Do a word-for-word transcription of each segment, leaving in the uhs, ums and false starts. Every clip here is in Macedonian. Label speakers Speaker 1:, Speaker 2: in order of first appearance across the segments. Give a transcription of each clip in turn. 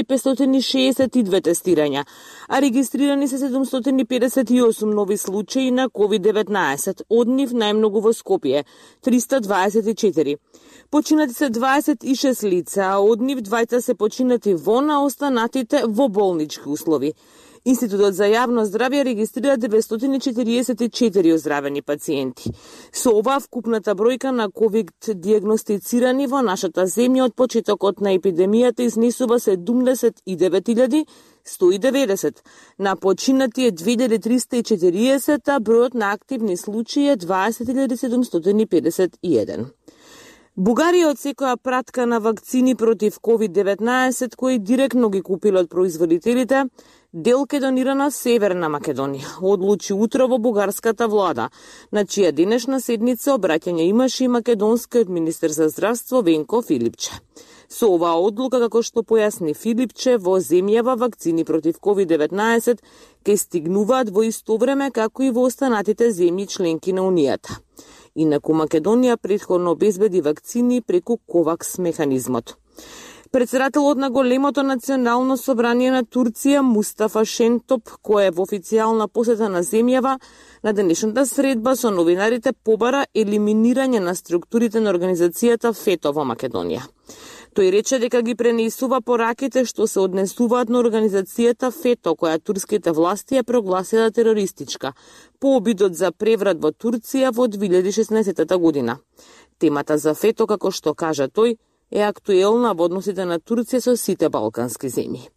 Speaker 1: петстотини и шеесет и две тестирања, а регистрирани се седумстотини педесет и осум нови случаи на ковид деветнаесет, од нив најмногу во Скопје – триста дваесет и четири. Починати се дваесет и шест лица, а од нив двајца се починати во, на останатите во болнички услови. Институтот за јавно здравје регистрира деветстотини четириесет и четири оздравени пациенти. Со ова вкупната бројка на ковид диагностицирани во нашата земја од почетокот на епидемијата изнесува седумдесет и девет илјади сто и деветдесет. На починати е две илјади триста и четириесет, а бројот на активни случаи е дваесет илјади седумстотини педесет и еден. Бугарија отсекоја пратка на вакцини против ковид деветнаесет, кои директно ги купиле од производителите, дел ке донира на Северна Македонија, одлучи утро во бугарската влада, на чија денешна седница обраќање имаше и македонскиот министер за здравство Венко Филипче. Со оваа одлука, како што појасни Филипче, во земјава вакцини против ковид деветнаесет ке стигнуваат во исто време како и во останатите земји членки на Унијата. Инаку Македонија претходно обезбеди вакцини преку ковакс механизмот. Председателот на големото национално собрание на Турција Мустафа Шентоп, кој е во официјална посета на земјава, на денешната средба со новинарите побара елиминирање на структурите на организацијата ФЕТО во Македонија. Тој рече дека ги пренесува пораките што се однесуваат на организацијата ФЕТО, која турските власти ја прогласила терористичка, по обидот за преврат во Турција во две илјади и шеснаесетта година. Темата за ФЕТО, како што кажа тој, е актуелна во односите на Турција со сите балкански земји.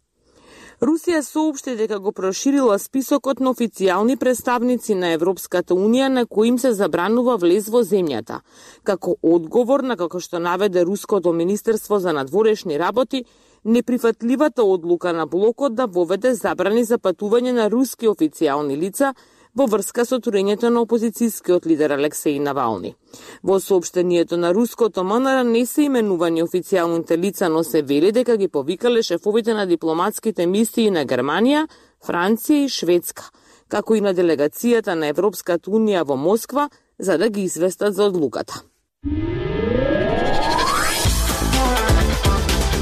Speaker 1: Русија соопшти дека го проширила списокот на официјални представници на Европската Унија на кои им се забранува влез во земјата, како одговор на, како што наведе Руското министерство за надворешни работи, неприфатливата одлука на блокот да воведе забрани за патување на руски официјални лица во врска со турењето на опозицијскиот лидер Алексеј Навални. Во соопштението на руското МНР не се именувани официјалните лица, но се вели дека ги повикале шефовите на дипломатските мисии на Германија, Франција и Шведска, како и на делегацијата на Европската Унија во Москва, за да ги известат за одлуката.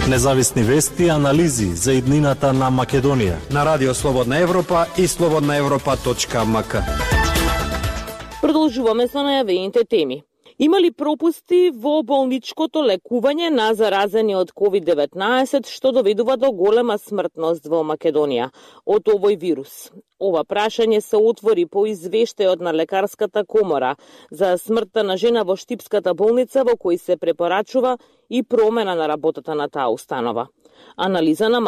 Speaker 2: Независни вести и анализи за иднината на Македонија
Speaker 3: на Радио Слободна Европа и слободна европа точка ем ка.
Speaker 1: Продолжуваме со најавените теми. Има ли пропусти во болничкото лекување на заразени од ковид деветнаесет, што доведува до голема смртност во Македонија од овој вирус? Ова прашање се отвори по извештајот на Лекарската комора за смртта на жена во Штипската болница, во кој се препорачува и промена на работата на таа установа. Анализа на